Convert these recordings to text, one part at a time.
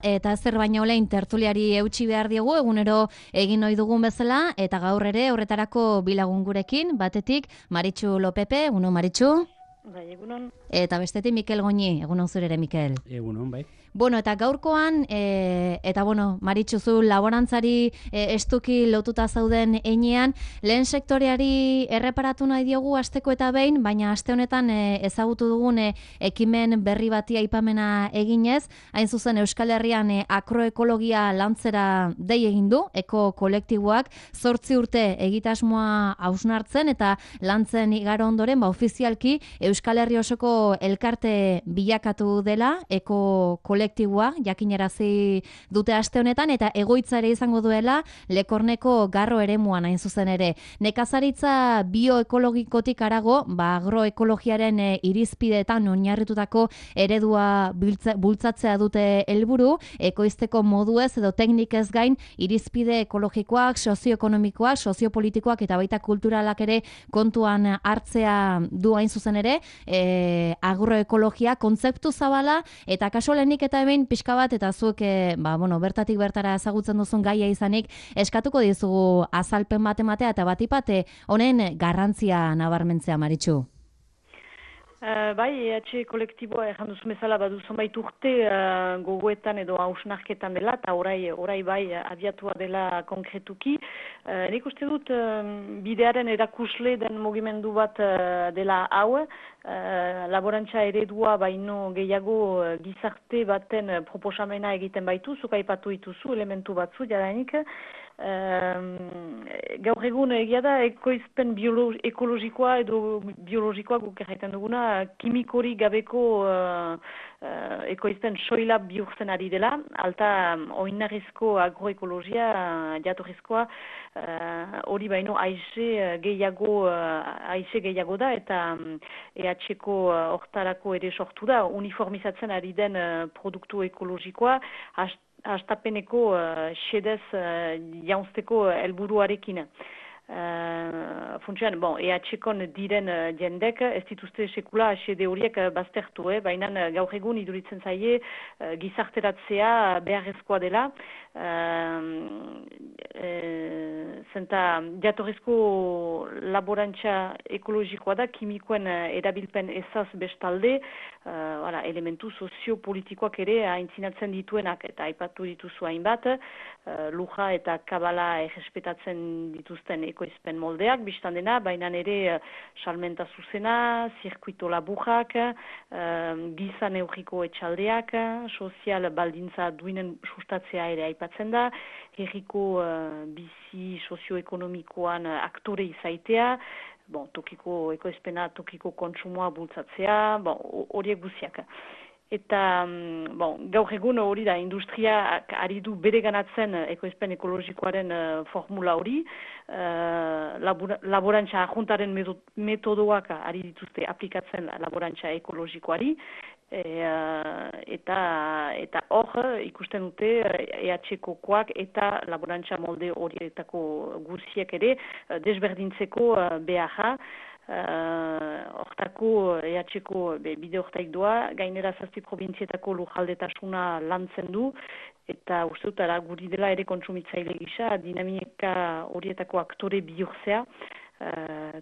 Eta zer baino lehin tertuliari eutsi behar diegu, egunero egin ohi dugun bezala, eta gaur ere horretarako bilagun gurekin, batetik Maritxu Lopepe, egunon Maritxu. Bai, egunon. Eta bestetik Mikel Goñi, egunon zure ere Mikel. Egunon, bai. Bueno, eta gaurkoan, eta bueno, Maritxu zu laborantzari estuki lotuta zauden heinean, lehen sektoreari erreparatu nahi diogu asteko eta behin, baina aste honetan ezagutu dugun ekimen berri bati aipamena eginez, hain zuzen Euskal Herrian agroekologia lantzera dei egin du, eko kolektiboak 8 urte egitasmoa hausnartzen eta lantzen igaro ondoren, ofizialki Euskal Herri osoko elkarte bilakatu dela, eko kolektiboa, jakinarazi dute aste honetan, eta egoitza ere izango duela Lekorneko Garro eremuan hain zuzen ere. Nekazaritza bioekologikotik harago, agroekologiaren irizpideetan oinarritutako eredua bultzatzea dute helburu, ekoizteko moduez edo teknikez gain irizpide ekologikoak, sozioekonomikoak, soziopolitikoak eta baita kulturalak ere kontuan hartzea du hain zuzen ere, agroekologia kontzeptu zabala, eta kaso lehenik eta hemen pixka bat, eta zuek bertatik bertara ezagutzen duzun gaia izanik, eskatuko dizugu azalpen bat ematea eta batipate honen garrantzia nabarmentzea, Maritxu. Bai, EH kolektiboa erran duzu bezala badu zonbait urte gogoetan edo hausnarketan dela, eta orai bai abiatua dela konkretuki. Nik uste dut bidearen erakusle den mugimendu bat dela hau, laborantza eredua baino gehiago gizarte baten proposamena egiten baitu, zuk aipatu dituzu elementu batzu jadanik. Gaur egun egia da ekoizpen ekologikoa edo biologikoa guk erraiten duguna kimikori gabeko ekoizpen soila bihurtzen ari dela, alta oinarrizko agroekologia jatorrizkoa hori baino aize gehiago da, eta EH-ko hortarako ere sortu da, uniformizatzen ari den produktu ekologikoa hastapeneko xedez jaunzteko helburuarekin. Funtsean, EH-kon diren jendek ez dituzte sekula xede horiek baztertu, baina gaur egun iduritzen zaie gizarteratzea beharrezkoa dela, zenta jatorrizko laborantza ekologikoa da, kimikoen erabilpen ezaz bestalde, elementu soziopolitikoak ere aintzinatzen dituenak, eta aipatu dituzu hainbat, luja eta kabala errespetatzen dituzten ekoizpen moldeak, biztan dena, baina ere salmenta zuzena, zirkuito laburrak, giza neurriko etxaldeak, sozial baldintza duinen sustatzea ere aipatzen da, herriko bizi sozioekonomikoan aktore izaitea, tokiko ekoizpena, tokiko kontsumoa bultzatzea, horiek guziak. Eta gaur egun hori da, industria ari du bere ganatzen ekoizpen ekologikoaren formula hori, laborantza ajuntaren metodoak ari dituzte aplikatzen laborantza ekologikoari, eta hor ikusten dute EH-kokoak eta laborantza molde horietako guziek ere desberdintzeko beharra. Hortako EH-ko bide hortaik doa, gainera 7 probintzietako lujaldetasuna lantzen du, eta uste dut guri dela ere kontsumitzaile gisa, dinamika horietako aktore bihurtzea,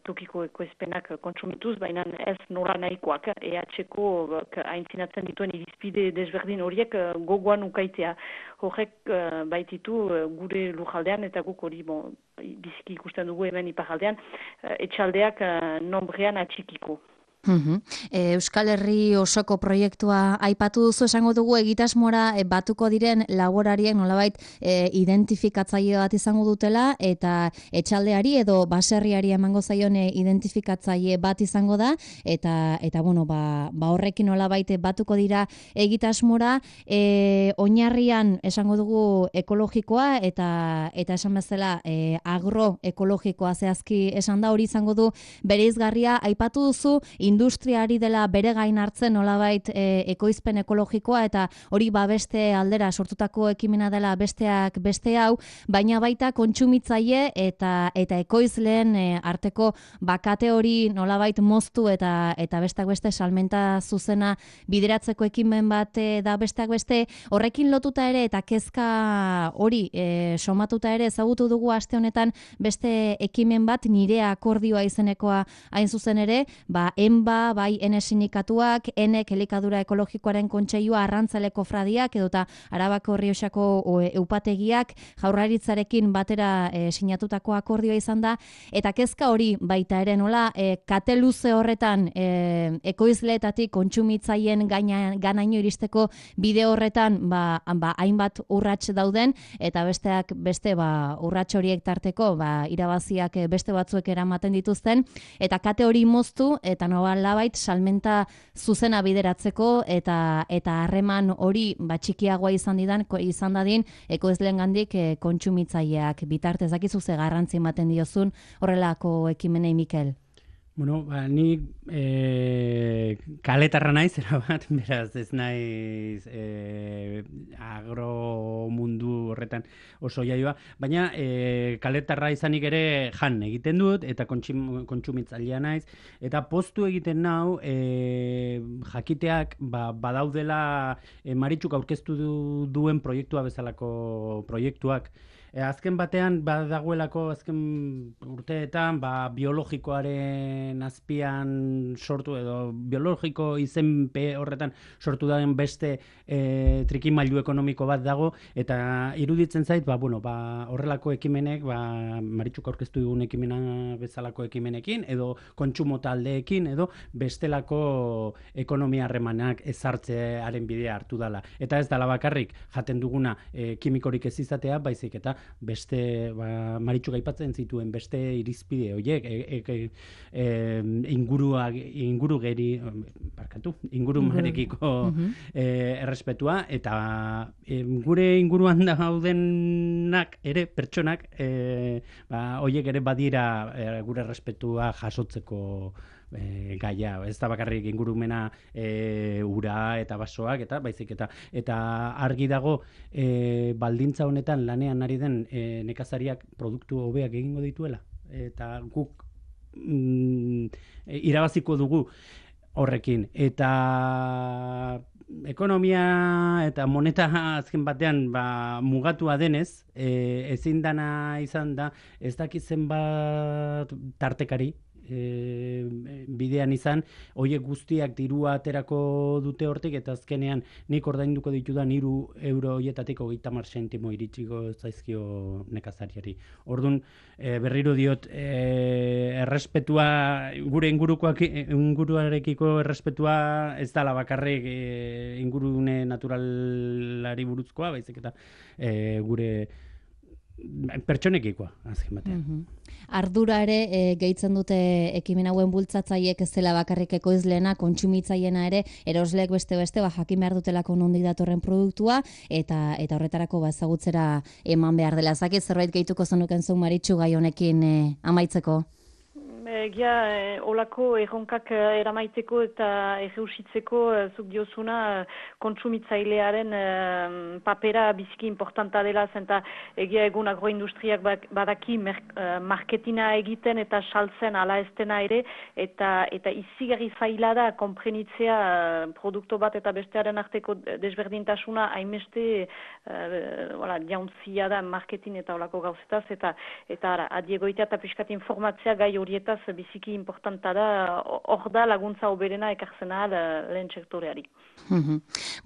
tokiko ekoizpenak kontsumituz, baina ez nola nahikoak, EH-ko aintzinatzen dituen irizpide desberdin horiek gogoan ukaitea. Horrek baititu gure lujaldean, eta guk hori biziki ikusten dugu hemen iparaldean, etxaldeak nombrean atxikiko. Euskal Herri osoko proiektua aipatu duzu, esango dugu egitasmora batuko diren laborariek nolabait identifikatzaile bat izango dutela, eta etxaldeari edo baserriari emango zaion identifikatzaile bat izango da, eta horrekin nolabait batuko dira egitasmora, oinarrian esango dugu ekologikoa eta esan bezala agroekologikoa zehazki esan da, hori izango du bereizgarria. Aipatu duzu industriari dela bere gain hartzen nolabait ekoizpen ekologikoa eta hori beste aldera sortutako ekimena dela besteak beste hau, baina baita kontsumitzaile eta ekoizleen arteko bakate hori nolabait moztu eta besteak beste salmenta zuzena bideratzeko ekimen bat da besteak beste, horrekin lotuta ere eta kezka hori somatuta ere ezagutu dugu aste honetan beste ekimen bat Nirea akordioa izenekoa hain zuzen ere, ENBA, bai Ene sindikatuak, Enek elikadura ekologikoaren kontseilua, arrantzaleko fradiak edota Arabako Errioxako eupategiak Jaurlaritzarekin batera sinatutako akordioa izan da, eta kezka hori baita ere nola kate luze horretan ekoizleetatik kontsumitzaileen ganaino iristeko bide horretan hainbat urrats dauden eta besteak beste urrats horiek tarteko irabaziak beste batzuek eramaten dituzten eta kate hori moztu eta nolabait salmenta zuzena bideratzeko eta harreman hori txikiagoa izan dadin ekoizleengandik kontsumitzaileak bitartez. Dakizu ze garrantzi ematen diozun horrelako ekimenei, Mikel? Bueno, ni kaletarra naiz, erabat, beraz ez naiz agromundu horretan oso jaioa, baina kaletarra izanik ere jan egiten dut, eta kontsumitzailea naiz, eta poztu egiten nau jakiteak badaudela Maritxuk aurkeztu duen proiektua bezalako proiektuak. Azken batean badagoelako azken urteetan biologikoaren azpian sortu edo biologiko izenpe horretan sortu daen beste trikimailu ekonomiko bat dago eta iruditzen zait horrelako ekimenek Maritxuk aurkeztu dugun ekimena bezalako ekimenekin edo kontsumo taldeekin edo bestelako ekonomia harremanak ezartzearen bidea hartu dela. Eta ez dela bakarrik jaten duguna kimikorik ez izatea, baizik eta beste Maritxuk aipatzen zituen beste irizpide horiek ingurumarekiko errespetua eta gure inguruan daudenak ere pertsonak horiek ere badira gure errespetua jasotzeko gaia, ez da bakarrik ingurumena ura eta basoak eta baizik eta argi dago baldintza honetan lanean ari den nekazariak produktu hobeak egingo dituela eta guk irabaziko dugu horrekin eta ekonomia eta moneta azken batean mugatua denez ezin dana izan da ez dakitzen bat tartekari bidean izan, horiek guztiak dirua aterako dute hortik eta azkenean nik ordainduko ditudan 3 euro horietatik 30 zentimo iritsiko zaizkio nekazariari. Orduan, berriro diot, errespetua, gure inguruarekiko errespetua ez dala bakarrik ingurune naturalari buruzkoa, baizik eta gure pertsonekikoa, azken batean. Ardura ere gehitzen dute ekimen hauen bultzatzaileek ez dela bakarrik ekoizleena, kontsumitzaileena ere, erosleek beste jakin behar dutelako nondik datorren produktua eta horretarako ezagutzera eman behar dela. Zakit zerbait gehituko zenuken zuen Maritxu gai honekin amaitzeko? Olako erronkak eramaiteko eta erreusitzeko zuk diozuna kontsumitzailearen papera biziki importanta dela, zenta egia egun agroindustriak badaki marketina egiten eta saltzen ala estena ere, eta izigarri zaila da konprenitzea produktu bat eta bestearen arteko desberdintasuna hainbeste jauntzia da marketin eta olako gauzetaz, eta adiegoitea eta piskat informatzea gai horietaz biziki importanta da, hor da laguntza oberena ekartzen ahal lehen sektoreari.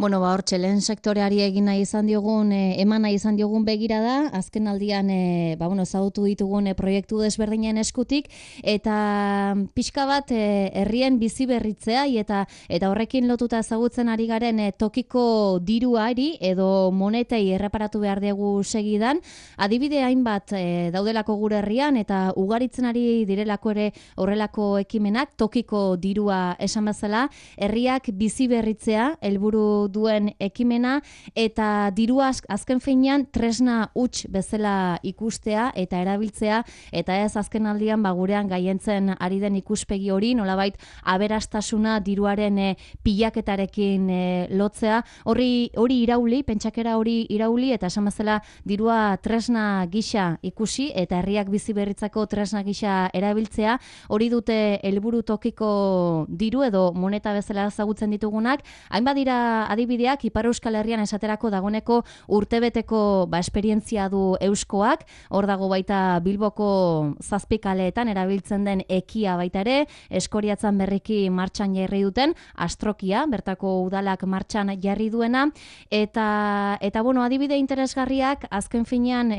Hortxe, lehen sektoreari egina izan diogun, emana izan diogun begira da, azken aldian ezagutu ditugun proiektu desberdinen eskutik, eta pixka bat herrien bizi berritzea, eta horrekin lotuta ezagutzen ari garen tokiko diruari, edo monetei erreparatu behar dugu segidan, adibide hainbat daudelako gure herrian, eta ugaritzen ari direlako ere ere horrelako ekimenak, tokiko dirua esan bezala, herriak bizi berritzea helburu duen ekimena, eta dirua azken finean tresna huts bezala ikustea eta erabiltzea, eta ez azken aldian gurean gaientzen ari den ikuspegi hori, nolabait aberastasuna diruaren pilaketarekin lotzea, hori irauli, pentsakera hori irauli, eta esan bezala dirua tresna gisa ikusi, eta herriak bizi berritzako tresna gisa erabiltzea, hori dute helburu tokiko diru edo moneta bezala ezagutzen ditugunak. Hainbat dira adibideak, Ipar Euskal Herrian esaterako dagoeneko urtebeteko esperientzia du Euskoak, hor dago baita Bilboko zazpikaleetan erabiltzen den ekia baita ere, Eskoriatzan berriki martxan jarri duten, Astrokia, bertako udalak martxan jarri duena, eta adibide interesgarriak azken finean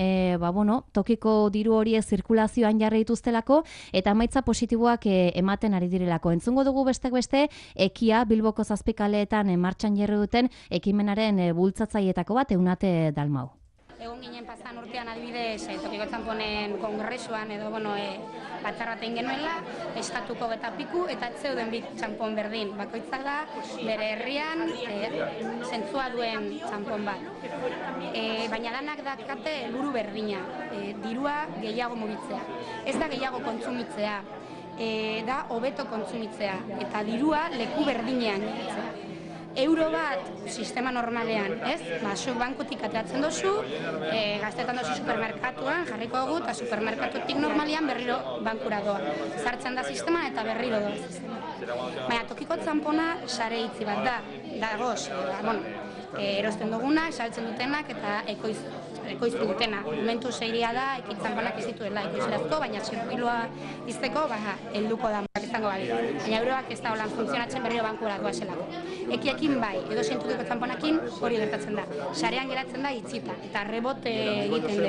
tokiko diru horiek zirkulazioan jarri dituztelako, eta emaitza positiboak ematen ari direlako. Entzungo dugu besteak beste, ekia Bilboko zazpikaleetan martxan jarri duten ekimenaren bultzatzailetako bat, Eunate Dalmau. Egon ginen pasan urtean adibidez, tokiko txanponen kongresuan edo batzar bat egin genuela, eskatuko eta piku, eta zeuden bit txanpon berdin. Bakoitzak da, bere herrian zentzua duen txanpon bat. Baina lanak dakate helburu berdina, dirua gehiago mugitzea. Ez da gehiago kontsumitzea, da hobeto kontsumitzea, eta dirua leku berdinean mugitzea. Euro bat sistema normalean, ez? Zuk bankutik ateratzen dozu, gaztetan dozu supermerkatuan, jarriko dugu, eta supermerkatutik normalean berriro bankura doa. Sartzen da sisteman eta berriro doa. Baina tokiko txanpona sare itzi bat da, dagoz, erosten duguna, esaltzen dutenak eta ekoiztu dutena. Momentu zeiria da, ekitxanponak ez dituela ekoizlazko, baina zirkuilua izteko, helduko da izango bali. Baina euroak ez da holan funtzionatzen berriro bankura doazelako. Ekiekin bai, edo tokiko txanponakin hori gertatzen da. Sarean geratzen da itzita, eta rebote egiten du.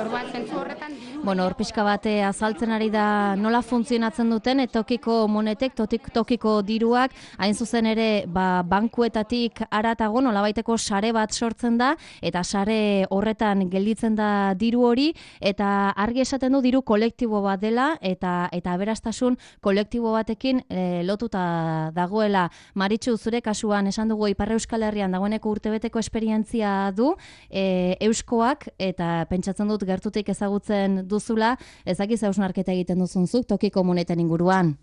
Orduan zentzu horretan... Hor pixka bate azaltzen ari da nola funtzionatzen duten, tokiko monetek, tokiko diruak, hain zuzen ere bankuetatik aratago nolabaiteko sare bat sortzen da, eta sare horretan gelditzen da diru hori, eta argi esaten du diru kolektibo bat dela, eta aberastasun kolektibo batekin lotuta dagoela. Maritxu, zure kasuan esan dugu Ipar Euskal Herrian dagoeneko urtebeteko esperientzia du Euskoak, eta pentsatzen dut gertutik ezagutzen duzula, ezakiz hausnarketa egiten duzunzuk tokiko moneten inguruan.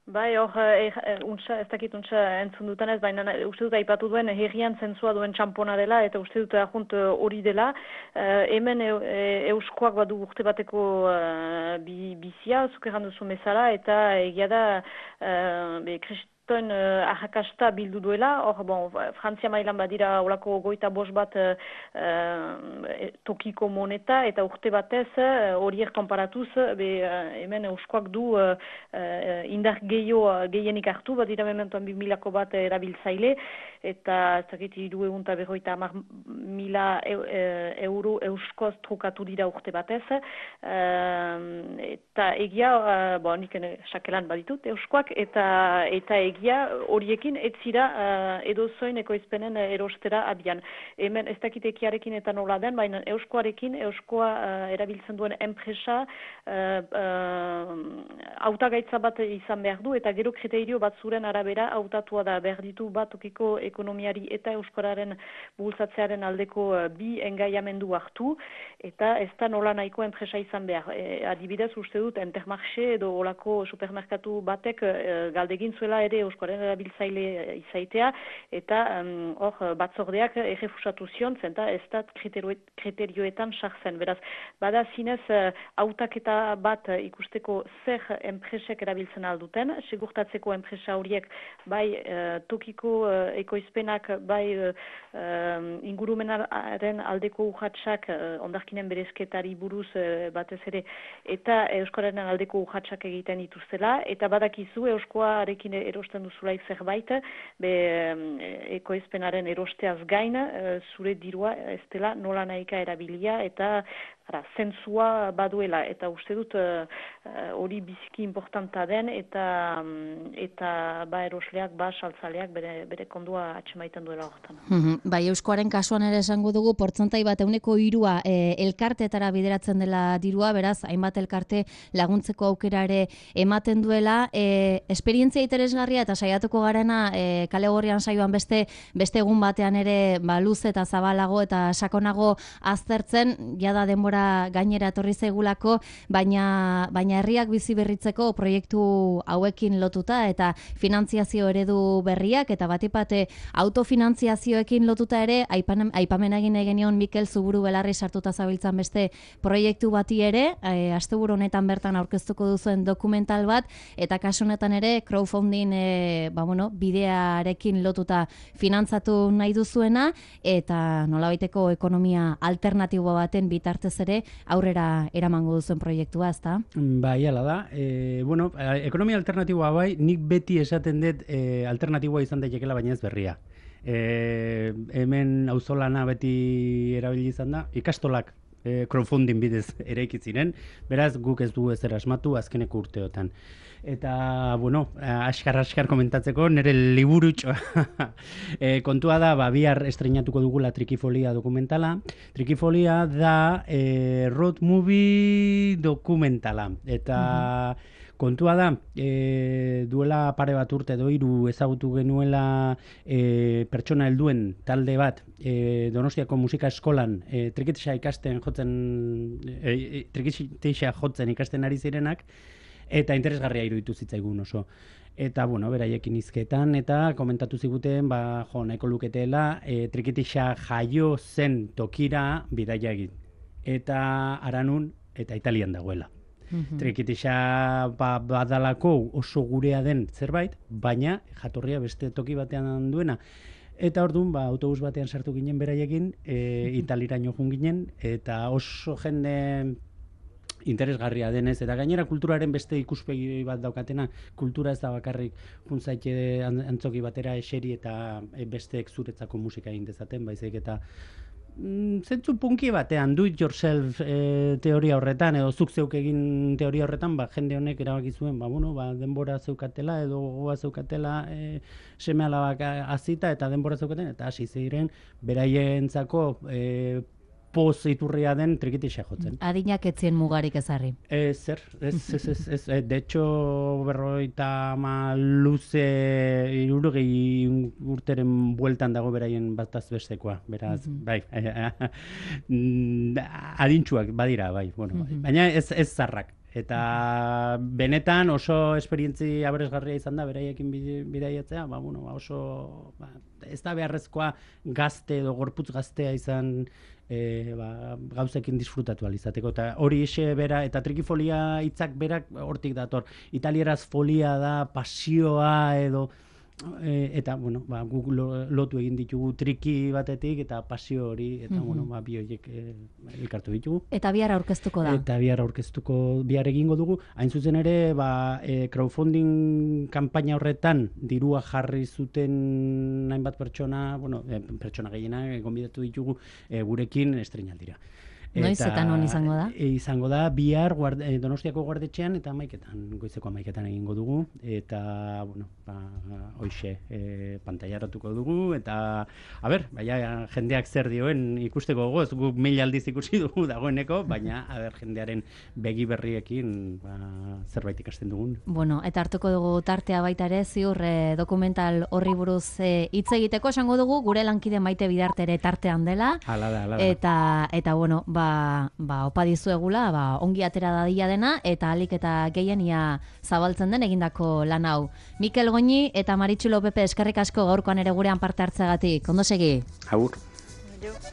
Bai, ez dakit untsa entzun dutan ez, baina uste dut aipatu duen herrian zentzua duen txampona dela, eta uste dut ajunt hori dela. Hemen Euskoak badu urte bateko bizia, zuk erran duzu bezala, eta egia da ahakasta bildu duela, Frantzia mailan badira olako 25 bat tokiko moneta, eta urte batez horiek konparatuz, hemen Euskoak du indar gehienik hartu, badira mementoan 2000ko bat erabiltzaile, eta ez dakit 350.000 euro euskoz trukatu dira urte batez, eta egia, nik sakelan baditut Euskoak, eta egia horiekin ez zira edozoin ekoizpenen erostera abian. Hemen ez dakit ekiarekin eta nola den, baina Euskoa erabiltzen duen enpresa hautagaitza bat izan behar du, eta gero kriterio batzuren arabera hautatua da behar ditu bat tokiko ekonomiari eta euskararen bultzatzearen aldeko bi engaiamendu hartu, eta ez da nola nahiko enpresa izan behar. Adibidez uste dut Intermarché edo olako supermerkatu batek galdegin zuela ere euskararen erabiltzaile izaitea, eta batzordeak errefusatu zion, zenta ez da kriterioetan sartzen. Beraz, bada zinez hautaketa bat ikusteko zer enpresek erabiltzen alduten, segurtatzeko enpresa horiek bai tokiko ekoizpenak, bai ingurumenaren aldeko urratsak, ondarkinen berezketari buruz batez ere, eta euskararen aldeko urratsak egiten dituztela, eta badakizu euskoarekin erosten proposatzen duzulaik zerbait, ekoizpenaren erosteaz gain, zure dirua ez dela nola nahika erabilia eta zentzua baduela, eta uste dut hori biziki importanta den, eta ba erosleak, ba saltzaleak bere kondua atxemaiten duela horretan. Bai, Euskoaren kasuan ere esango dugu, portzentai bat 3% elkarteetara bideratzen dela dirua, beraz, hainbat elkarte laguntzeko aukera ere ematen duela. Esperientzia interesgarria eta saiatuko garena kale gorrian saioan beste egun batean ere luze eta zabalago eta sakonago aztertzen, jada denbora gainera etorri zaigulako, baina herriak bizi berritzeko proiektu hauekin lotuta eta finantziazio eredu berriak eta batipate autofinantziazioekin lotuta ere aipamen egin genion Mikel Zuburu Belarri sartuta zabiltzan beste proiektu bati ere, asteburu honetan bertan aurkeztuko duzuen dokumental bat, eta kasu honetan ere crowdfunding bidearekin lotuta finantzatu nahi duzuena, eta nolabaiteko ekonomia alternatibo baten bitartez ere aurrera eramango duzuen proiektua, ezta? Bai, hala da. Ekonomia alternatiboa bai, nik beti esaten dut alternatiboa izan daitekeela, baina ez berria. Hemen auzolana beti erabili izan da, ikastolak crowdfunding bidez eraiki ziren, beraz guk ez dugu ezer asmatu azkeneko urteotan. Eta, askar komentatzeko, nire liburutxoa. Kontua da, bihar estreinatuko dugula Trikifolia dokumentala. Trikifolia da road movie dokumentala. Eta kontua da, duela pare bat urte edo 3 ezagutu genuela pertsona helduen talde bat Donostiako musika eskolan trikitixa jotzen ikasten ari zirenak, eta interesgarria iruditu zitzaigun oso. Eta, beraiekin hizketan, eta komentatu ziguten, nahiko luketela, trikitixa jaio zen tokira bidaia egin. Eta Aranun eta Italian dagoela. Trikitixa badalako oso gurea den zerbait, baina jatorria beste toki batean duena. Eta orduan, autobus batean sartu ginen beraiekin, Italiraino joan ginen, eta oso jende interesgarria denez, eta gainera kulturaren beste ikuspegi bat daukatena, kultura ez da bakarrik juntzaite antzoki batera eseri eta besteek zuretzako musika egin dezaten, baizik eta zentzu punki batean, do it yourself teoria horretan, edo zuk zeuk egin teoria horretan, jende honek erabaki zuen, denbora zeukatela, edo gogoa zeukatela, seme alabak azita eta denbora zeukaten, eta hasi ziren beraientzako poz iturria den trikitixa jotzen. Adinak etzien mugarik ezarri. Ez. De hecho, 50 luze 60 urteren bueltan dago beraien bataz bestekoa. Beraz, bai. Adintxuak badira, bai. Baina ez zarrak. Eta benetan oso esperientzi aberesgarria izan da beraiekin bidaiatzea, oso ez da beharrezkoa gazte edo gorputz gaztea izan gauzekin disfrutatu alizateko, eta hori ise bera, eta trikifolia hitzak berak hortik dator. Italieraz folia da, pasioa edo, eta, guk lotu egin ditugu triki batetik, eta pasio hori, eta, bi horiek elkartu ditugu. Eta bihar aurkeztuko da. Eta bihar egingo dugu. Hain zuzen ere, crowdfunding kanpaina horretan dirua jarri zuten hainbat pertsona, pertsona gehiena gonbidatu ditugu gurekin estreinaldira. Noiz eta non izango da? Izango da, bihar Donostiako Guardetxean eta goizeko 11etan egingo dugu, eta, hoixe, pantailaratuko dugu, eta, jendeak zer dioen ikusteko gogoz, guk 1000 aldiz ikusi dugu dagoeneko, baina, jendearen begi berriekin zerbait ikasten dugun. Eta hartuko dugu tartea baita ere, ziur dokumental horri buruz hitz egiteko, esango dugu, gure lankide Maite Bidarte ere tartean dela. Hala da. Eta, opa dizuegula, ongi atera dadila dena, eta alik eta gehien ia zabaltzen den egindako lan hau. Mikel Goñi eta Maritxu Lopepe eskerrik asko gaurkoan ere gurean parte hartzeagatik. Ondo segi? Agur.